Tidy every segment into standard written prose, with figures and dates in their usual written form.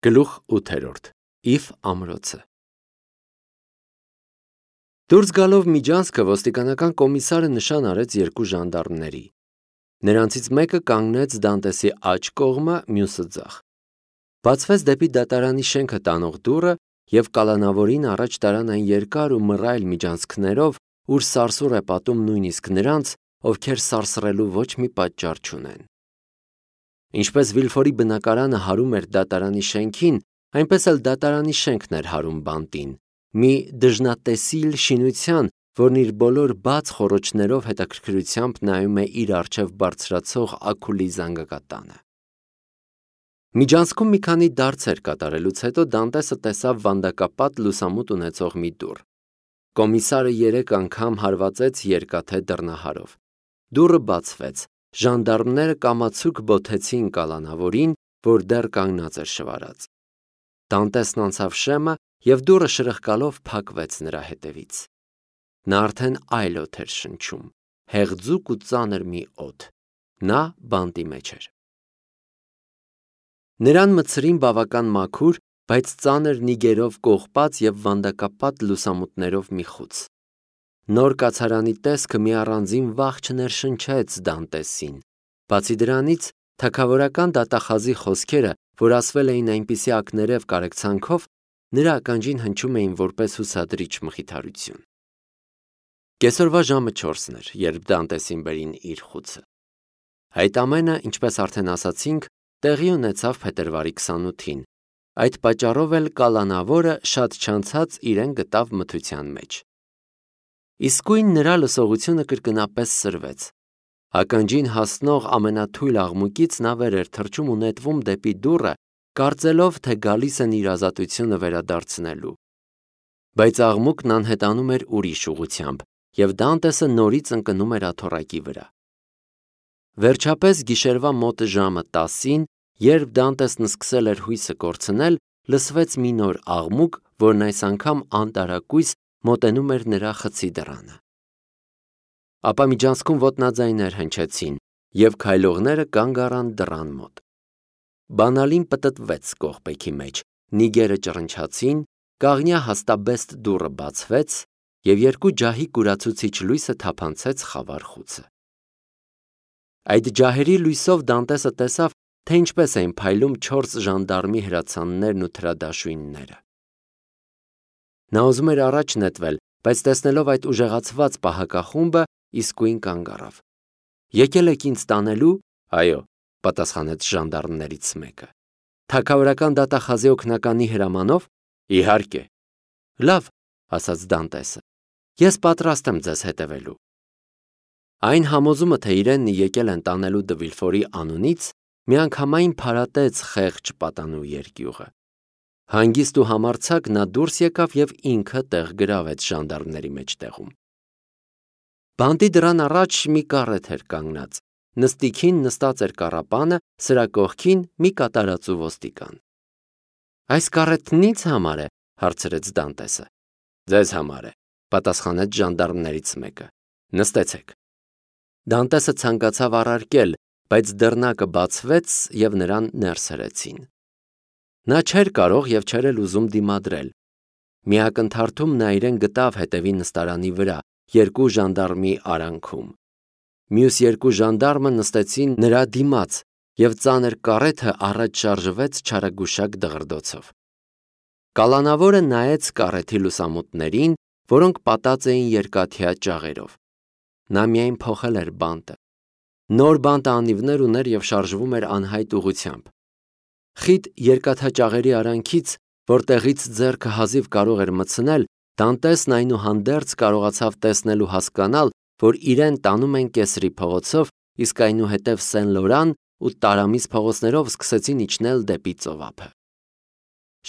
Գլուխ 8 Իվ ամրոցը Դուրս գալով միջանցքը ոստիկանական կոմիսարը նշան արեց երկու ժանդարմների։ Նրանցից մեկը կանգնեց Դանտեսի աջ կողմը, մյուսը ձախ։ Բացվեց դեպի դատարանի շենքը տանող դուռը և կալանավորին առաջ տարան այն երկար ու մռայլ միջանցքներով, ուր սարսուռ է պատում նույնիսկ նրանց, ովքեր սարսռելու ոչ մի պատճառ չունեն։ Ինչպես Վիլֆորի բնակարանը հարում էր դատարանի շենքին, այնպես էլ դատարանի շենքն էր հարում բանտին, մի դժնատեսիլ շինության, որն իր բոլոր բաց խոռոչներով հետաքրքրությամբ նայում է իր առջև բարձրացող Աքուլի զանգակատանը։ Միջանցքում մի քանի դարձեր կատարելուց հետո Դանտեսը տեսավ վանդակապատ լուսամուտ ունեցող մի դուռ։ Կոմիսարը 3 անգամ հարվածեց երկաթե դռնահարով։ Դուռը բացվեց, ժանդարմները կամացուկ բոթեցին կալանավորին, որ դեռ կանգնած էր շվարած։ Դանտեսն անցավ շեմը և դուռը շրխկալով փակվեց նրա հետևից։ Նա արդեն այլ օդ էր շնչում, հեղձուկ ու ծանր մի օդ։ Նա բանտի մեջ էր։ Նրան մտցրին բավական մաքուր, բայց ծանր նիգերով կողպած և վանդակապատ լուսամուտներով մի խուց։ Նոր կացարանի տեսքը մի առանձին վախ չներշնչեց Դանտեսին։ Բացի դրանից, թագավորական դատախազի խոսքերը, որ ասվել էին այնպիսի ակներև կարեկցանքով, նրա ականջին հնչում էին որպես հուսադրիչ մխիթարություն։ Կեսօրվա ժամը 4-ն էր, երբ Դանտեսին բերին իր խուցը։ Այդ ամենը, ինչպես արդեն ասացինք, տեղի ունեցավ փետրվարի 28-ին։ Այդ պատճառով էլ կալանավորը շատ չանցած իրեն գտավ մթության մեջ։ Իսկույն նրա լսողությունը կրկնապես սրվեց։ Ականջին հասնող ամենաթույլ աղմուկից նա վեր էր թռչում ու նետվում դեպի դուռը, կարծելով, թե գալիս են իր ազատությունը վերադարձնելու։ Բայց աղմուկն անհետանում էր ուրիշ ուղղությամբ, և Դանտեսը նորից ընկնում էր աթոռակի վրա։ Վերջապես գիշերվա մոտ ժամը 10-ին, երբ Դանտեսն սկսել էր հույսը կորցնել, լսվեց մի նոր աղմուկ, որն այս անգամ անտարակույս մոտենում էր նրա խցի դռանը։ Ապա միջանցքում ոտնաձայներ հնչեցին, և քայլողները կանգ առան դռան մոտ։ Բանալին պտտվեց կողպեքի մեջ, նիգերը ճռնչացին, կաղնյա հաստաբեստ դուռը բացվեց, և երկու ջահի կուրացուցիչ լույսը թափանցեց խավար խուցը։ Այդ ջահերի լույսով Դանտեսը տեսավ, թե ինչպես էին փայլում 4 ժանդարմի հրացաններն ու թրադաշույնները։ Նա ուզում էր առաջ նետվել, բայց տեսնելով այդ ուժեղացված պահակախումբը, իսկույն կանգ առավ։ Եկել եք ինձ տանելու։ Այո, պատասխանեց ժանդարմներից մեկը։ Թագավորական դատախազի օգնականի հրամանով։ Իհարկե։ Լավ, ասաց Դանտեսը։ Ես պատրաստ եմ ձեզ հետևելու։ Այն համոզումը, թե իրեն եկել են տանելու Դը Վիլֆորի անունից, միանգամայն փարատեց խեղճ պատանու երկյուղը։ Հանգիստ ու համարձակ նա դուրս եկավ և ինքը տեղ գրավեց ժանդարմների մեջտեղում։ Բանտի դռան առաջ մի կառեթ էր կանգնած։ Նստիքին նստած էր կառապանը, սրա կողքին մի կատարածու ոստիկան։ Այս կառեթն ի՞նձ համար է, հարցրեց Դանտեսը։ Ձեզ համար է, պատասխանեց ժանդարմներից մեկը։ Նստեցեք։ Դանտեսը ցանկացավ առարկել, բայց դռնակը բացվեց և նրան ներս հրեցին։ Նա չէր կարող և չէր էլ ուզում դիմադրել։ Մի ակնթարթում նա իրեն գտավ հետևի նստարանի վրա, երկու ժանդարմի արանքում։ Մյուս երկու ժանդարմը նստեցին նրա դիմաց, և ծանր կառեթը առաջ շարժվեց չարագուշակ դղրդոցով։ Կալանավորը նայեց կառեթի լուսամուտներին, որոնք պատած էին երկաթյա ճաղերով։ Նա միայն փոխել էր բանտը։ Նոր բանտը անիվներ ուներ և շարժվում էր անհայտ ուղղությամբ։ Խիտ երկաթաճաղերի արանքից, որտեղից ձեռքը հազիվ կարող էր մտցնել, Դանտեսն այնուհանդերձ կարողացավ տեսնել ու հասկանալ, որ իրեն տանում են Կեսրի փողոցով, իսկ այնուհետև Սեն Լորան ու Տարամիս փողոցներով սկսեցին իջնել դեպի ծովափը։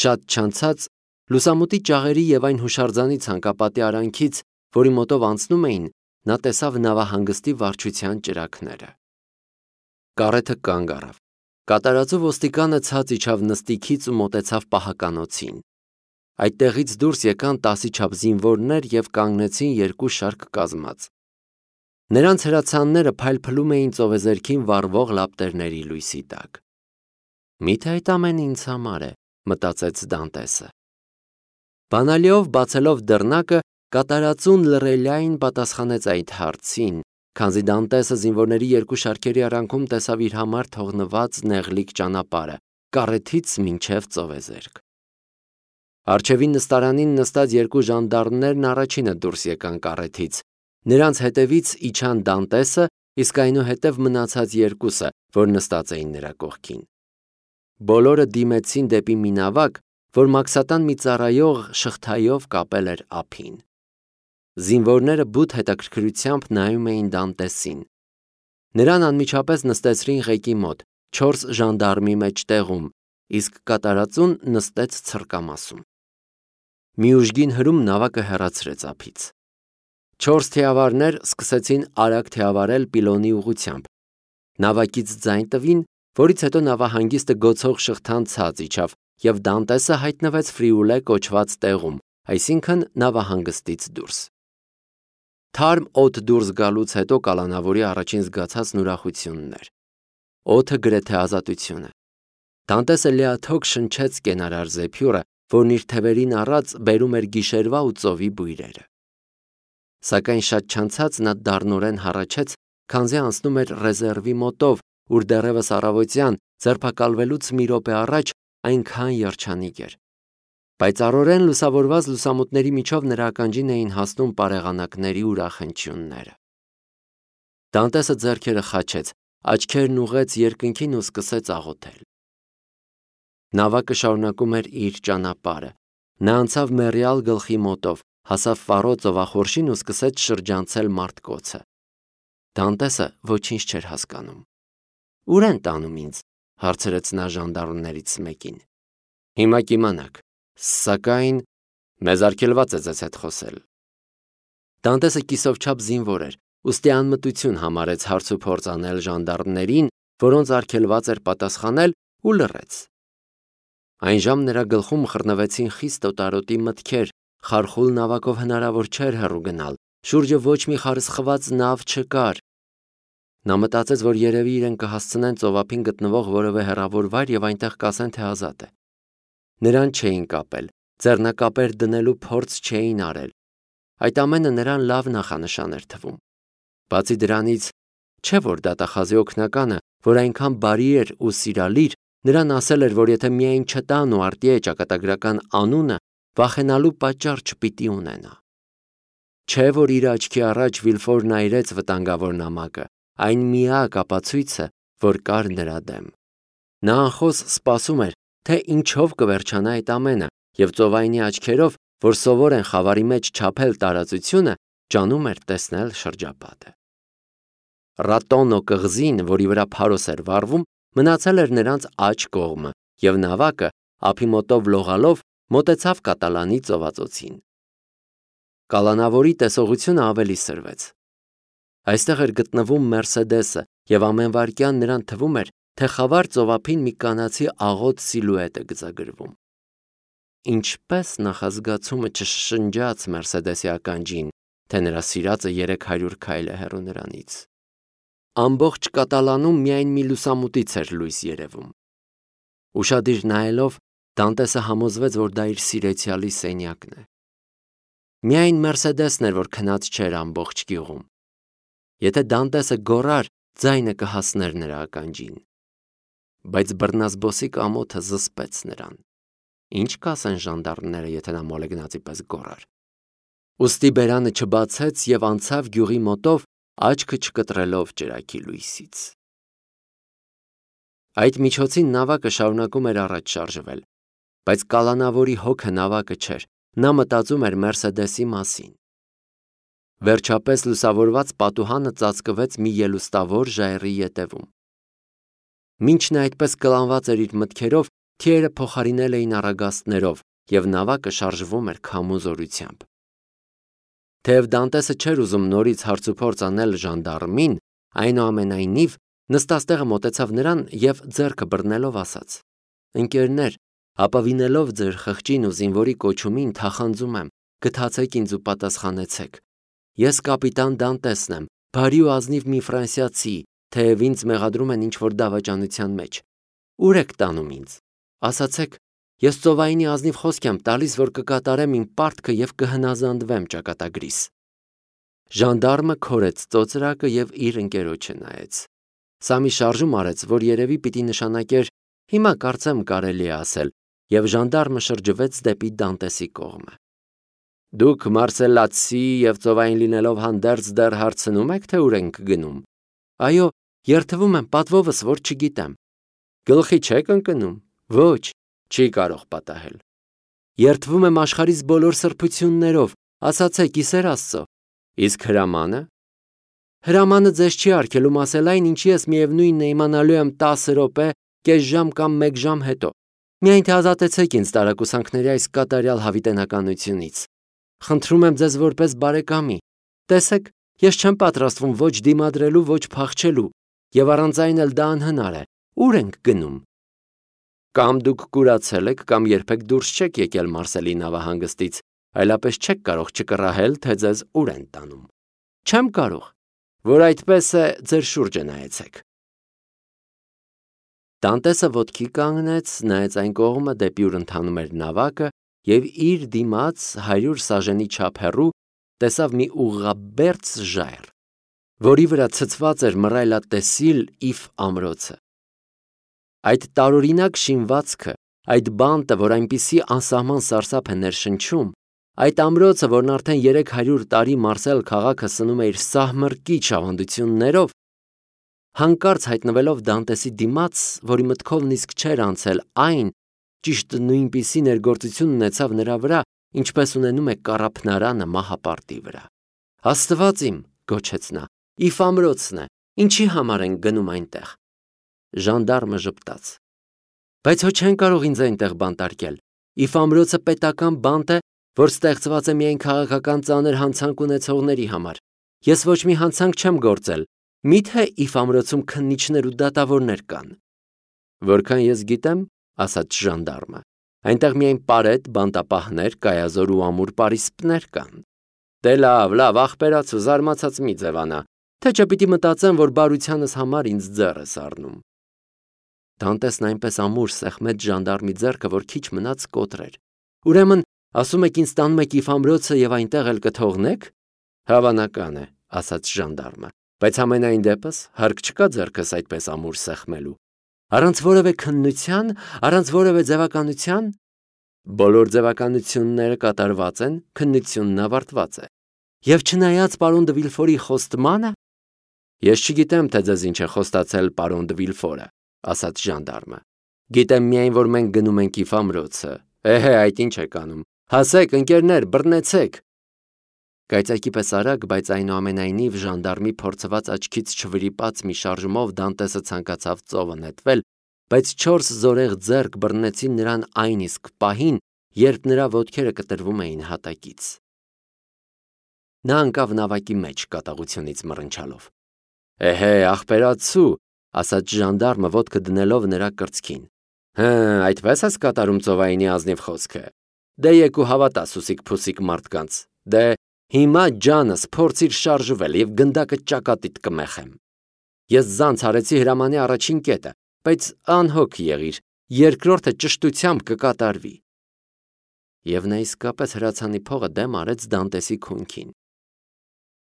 Շատ չանցած, լուսամուտի ճաղերի և այն հուշարձանի ցանկապատի արանքից, որի մոտով անցնում էին, նա տեսավ նավահանգստի վարչության ճրագները։ Կառեթը կանգ առավ։ Կատարածու ոստիկանը ցած իջավ նստիքից ու մոտեցավ պահականոցին։ Այդտեղից դուրս եկան 10-ի չափ զինվորներ և կանգնեցին երկու շարք կազմած։ Նրանց հրացանները փայլփլում էին ծովեզերքին վառվող լապտերների լույսի տակ։ Միթե այդ ամենը ինձ համար է, մտածեց Դանտեսը։ Բանալիով բացելով դռնակը, կատարածուն լռելիային պատասխանեց այդ հարցին, քանզի Դանտեսը զինվորների երկու շարքերի արանքում տեսավ իր համար թողնված նեղլիկ ճանապարհը, կառեթից մինչև ծովեզերք։ Առջևին նստարանին նստած երկու ժանդարմներն առաջինը դուրս եկան կառեթից։ Նրանց հետևից իջան Դանտեսը, իսկ այնուհետև մնացած երկուսը, որ նստած էին նրա կողքին։ Բոլորը դիմեցին դեպի մի նավակ, որ մաքսատան մի ծառայող շղթայով կապել էր ափին։ Զինվորները բութ հետաքրքրությամբ նայում էին Դանտեսին։ Նրան անմիջապես նստեցրին ղեկի մոտ, 4 ժանդարմի մեջտեղում, իսկ կատարածուն նստեց ցրկամասում։ Մի ուժգին հրում նավակը հեռացրեց ափից։ 4 թիավարներ սկսեցին արագ թիավարել պիլոնի ուղղությամբ։ Նավակից ձայն տվին, որից հետո նավահանգիստը գոցող շղթան ցած իջավ, եւ Դանտեսը հայտնվեց Ֆրիուլե կոչված տեղում, այսինքն նավահանգստից դուրս։ Թարմ օդ դուրս գալուց հետո կալանավորի առաջին զգացածն ուրախությունն էր։ Օդը գրեթե ազատություն է։ Դանտեսը լիաթոք շնչեց կենարար զեփյուրը, որն իր թևերին առած բերում էր գիշերվա ու ծովի բույրերը։ Սակայն շատ չանցած նա դառնորեն հառաչեց, քանզի անցնում էր ռեզերվի մոտով, ուր դեռևս առավոտյան ձերբակալվելուց մի րոպե առաջ այնքան երջանիկ էր։ Պայծառորեն լուսավորված լուսամուտների միջով նրա ականջին էին հասնում պարեղանակների ուրախ հնչյունները։ Դանտեսը ձեռքերը խաչեց, աչքերն ուղղեց երկնքին ու սկսեց աղոթել։ Նավակը շարունակում էր իր ճանապարհը։ Նա անցավ մեռյալ գլխի մոտով, հասավ Ֆարո ծովախորշին ու սկսեց շրջանցել մարդկոցը։ Դանտեսը ոչինչ չէր հասկանում։ «Ուր են տանում ինձ?» հարցրեց նա ժանդարմներից մեկին։ «Հիմա կիմանաք, սակայն մեզ արգելված է ձեզ հետ խոսել»։ Դանտեսը կիսովչափ զինվոր էր, ուստի անմտություն համարեց հարց ու փորձ անել ժանդարմներին, որոնց արգելված էր պատասխանել, ու լռեց։ Այնժամ նրա գլխում խռնվեցին խիստ օտարոտի մտքեր, խարխուլ նավակով հնարավոր չէր հեռու գնալ, շուրջը ոչ մի խարսխված նավ չկար։ Նա մտածեց, որ երևի իրեն կհասցնեն ծովափին գտնվող որևէ հեռավոր վայր եւ այնտեղ կասեն, թե ազատ է։ Նրան չէին կապել, ձեռնակապեր դնելու փորձ չէին արել։ Այդ ամենը նրան լավ նախանշան էր թվում։ Բացի դրանից, չէ որ դատախազի օգնականը, որ այնքան բարի էր ու սիրալիր, նրան ասել էր, որ եթե միայն չտան ու արտիե ճակատագրական անունը, վախենալու պատճառ չպիտի ունենա։ Չէ որ իր աչքի առաջ Վիլֆորն այրեց վտանգավոր նամակը, այն միակ ապացույցը, որ կար նրա դեմ։ Նա անխոս սպասում էր, թե ինչով կվերջանա այդ ամենը, եւ ծովայինի աչքերով, որ սովոր են խավարի մեջ չափել տարածությունը, ջանում էր տեսնել շրջապատը։ Ռատոնո կղզին, որի վրա Փարոս էր վառվում, մնացել էր նրանց աջ կողմը, եւ նավակը, ափի մոտով լողալով, մոտեցավ Կատալանի ծովածոցին։ Կալանավորի տեսողությունը ավելի սրվեց։ Այստեղ էր գտնվում Մերսեդեսը, եւ ամեն վայրկյան նրան թվում էր, թե խավար ծովափին մի կանացի աղոտ սիլուետ է գծագրվում։ Ինչպես նախազգացումը չշշնջաց Մերսեդեսի ականջին, թե նրա սիրածը 300 քայլ է հեռու նրանից։ Ամբողջ Կատալանում միայն մի լուսամուտից էր լույս երևում։ Ուշադիր նայելով, Դանտեսը համոզվեց, որ դա իր սիրեցյալի սենյակն է։ Միայն Մերսեդեսն էր, որ քնած չէր ամբողջ գյուղում։ Եթե Դանտեսը գոռար, ձայնը կհասներ նրա ականջին։ Բայց բռնազբոսիկ ամոթը զսպեց նրան։ Ինչ կասեն ժանդարմները, եթե նա մոլեգնածի պես գոռար։ Ուստի բերանը չբացեց եւ անցավ գյուղի մոտով, աչքը չկտրելով ճրագի լույսից։ Այդ միջոցին նավակը շարունակում էր առաջ շարժվել, բայց կալանավորի հոգը նավակը չէր, նա մտածում էր Մերսեդեսի մասին։ Վերջապես լուսավորված պատուհանը ծածկվեց մի ելուստավոր ժայռի ետևում։ Մինչ նա այդպես կլանված էր իր մտքերով, թիերը փոխարինել էին առագաստներով, եւ նավակը շարժվում էր քամու զորությամբ։ Թեև Դանտեսը չէր ուզում նորից հարցուփորձ անել ժանդարմին, այնուամենայնիվ նստաստեղը մոտեցավ նրան եւ ձեռքը բռնելով ասաց. «Ընկերներ, ապավինելով ձեր խղճին ու զինվորի կոչումին, թախանձում եմ, գթացեք ինձ ու պատասխանեցեք։ Ես կապիտան Դանտեսն եմ, բարի ու ազնիվ մի ֆրանսիացի, թեև ինձ մեղադրում են ինչ-որ դավաճանության մեջ։ Ուր եք տանում ինձ։ Ասացեք, Ես ծովայինի ազնիվ խոսք եմ տալիս, որ կկատարեմ իմ պարտքը և կհնազանդվեմ ճակատագրիս։ Ժանդարմը քորեց ծոծրակը և իր ընկերոջը նայեց։ Սա մի շարժում արեց, որ երևի պիտի նշանակեր հիմա կարծեմ կարելի է ասել, և ժանդարմը շրջվեց դեպի Դանտեսի կողմը։ Դուք մարսելացի և ծովային լինելով հանդերձ դեռ հարցնում եք, թե ուր ենք գնում։ Այո, երդվում եմ պատվովս, որ չգիտեմ։ Գլխի չեք ընկնում։ Ոչ, չի կարող պատահել։ Երդվում եմ աշխարհիս բոլոր սրբություններով, ասացեք իսեր Աստծո։ Իսկ հրամանը։ Հրամանը ձեզ չի արգելում ասել այն, ինչի ես միևնույնն է իմանալու եմ 10 րոպե, կես ժամ կամ 1 ժամ հետո։ Միայն թե ազատեցեք ինձ տարակուսանքների այս կատարյալ հավիտենականությունից։ Խնդրում եմ ձեզ որպես բարեկամի։ Տեսեք, ես չեմ պատրաստվում ոչ դիմադրելու, ոչ փախչելու, և առանց այն էլ դա անհնար է։ Ուր ենք գնում։ Կամ դուք կուրացել եք, կամ երբեք դուրս չեք եկել Մարսելի նավահանգստից, այլապես չեք կարող չկռահել, թե ձեզ ուր են տանում։ Չեմ կարող, որ այդպես է, ձեր շուրջը նայեցեք։ Դանտեսը ոտքի կանգնեց, նայեց այն կողմը, դեպի ուր ընթանում էր նավակը, և իր դիմաց 100 սաժենի չափ հեռու տեսավ մի ուղղաբերձ ժայռ, որի վրա ցցված էր մռայլատեսիլ Իֆ ամրոցը։ Այդ տարօրինակ շինվածքը, այդ բանտը, որ այնպիսի անսահման սարսափ է ներշնչում, այդ ամրոցը, որն արդեն 300 տարի Մարսել քաղաքը սնում է իր սահմռկիչ ավանդություններով, հանկարծ հայտնվելով Դանտեսի դիմաց, որի մտքով նիսկ չէր անցել այն, ճիշտ նույնպիսի ներգործություն ունեցավ նրա վրա, ինչպես ունենում է կառափնարանը մահապարտի վրա։ Աստված իմ, գոչեց նա, Իֆ ամրոցն է, ինչի համար ենք գնում այնտեղ։ Ժանդարմը ժպտաց։ Բայց հո չեն կարող ինձ այնտեղ բանտարկել։ Իֆ ամրոցը պետական բանտ է, որ ստեղծված է միայն քաղաքական ծանր հանցանք ունեցողների համար։ Ես ոչ մի հանցանք չեմ գործել։ Մի՞թե Իֆ ամրոցում քննիչներ ու դատավորներ կան։ Որքան ես գիտեմ, ասաց ժանդարմը, այնտեղ միայն պարետ, բանտապահներ, կայազոր ու ամուր պարիսպներ կան։ Դե լավ, աղբերաց ու զարմացած մի ձևանա, թե չէ պիտի մտածեմ, որ բարությանս համար ինձ ձեռ ես առնում։ Դանտեսն այնպես ամուր սեղմեց ժանդարմի ձեռքը, որ քիչ մնաց կոտրեր։ Ուրեմն, ասում եք ինձ տանում եք Իֆ ամրոցը և այնտեղ էլ կթողնեք։ Հավանական է, ասաց ժանդարմը, բայց համենայն դեպս հարկ չկա ձեռքս այդպես ամուր սեղմելու։ Առանց որևէ քննության, առանց որևէ ձևականության։ Բոլոր ձևականությունները կատարված են, քննությունն ավարտված է։ Եվ չնայած պարոն դը Վիլֆորի խոստմանը։ Ես չգիտեմ, թե ձեզ ինչ է խոստացել պարոն դը Վիլֆորը, ասաց ժանդարմը։ Գիտեմ միայն, որ մենք գնում ենք Իֆ ամրոցը։ Այդ ինչ եք անում։ Հասեք, ընկերներ, բռնեցեք։ Կայծակի պես արագ, բայց այնուամենայնիվ ժանդարմի փորձված աչքից չվրիպած մի շարժումով Դանտեսը ցանկացավ ծովը նետվել, բայց 4 զորեղ ձեռք բռնեցին նրան այն իսկ պահին, երբ նրա ոտքերը կտրվում էին հատակից։ Նա ընկավ նավակի մեջ կատաղությունից մռնչալով։ Աղբերացու, ասաց ժանդարմը ոտքը դնելով նրա կրծքին։ Այդպես ես կատարում ծովայինի ազնիվ խոսքը։ Դե եկու հավատա սուսիկ-փուսիկ մարդկանց։ Դե հիմա ջանս փորձիր շարժվել և գնդակը ճակատիդ կմեխեմ։ Ես զանց արեցի հրամանի առաջին կետը, բայց անհոգ եղիր, երկրորդը ճշտությամբ կկատարվի։ Եվ նա իսկապես հրացանի փողը դեմ արեց Դանտեսի քունքին։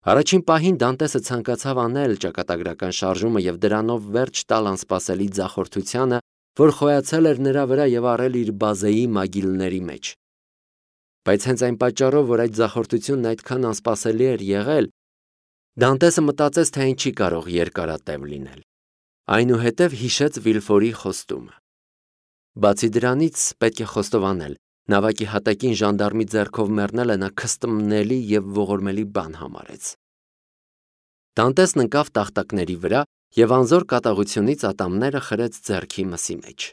Առաջին պահին Դանտեսը ցանկացավ անել ճակատագրական շարժումը և դրանով վերջ տալ անսպասելի ձախորդությանը, որ խոյացել էր նրա վրա և առել իր բազեի մագիլների մեջ։ Բայց հենց այն պատճառով, որ այդ ձախորդությունն այդքան անսպասելի էր եղել, Դանտեսը մտածեց, թե այն չի կարող երկարատև լինել։ Այնուհետև հիշեց Վիլֆորի խոստումը։ Բացի դրանից պետք է խոստովանել, նավակի հատակին ժանդարմի ձեռքով մեռնելը նա քստմնելի և ողորմելի բան համարեց։ Դանտեսն ընկավ տախտակների վրա և անզոր կատաղությունից ատամները խրեց ձեռքի մսի մեջ։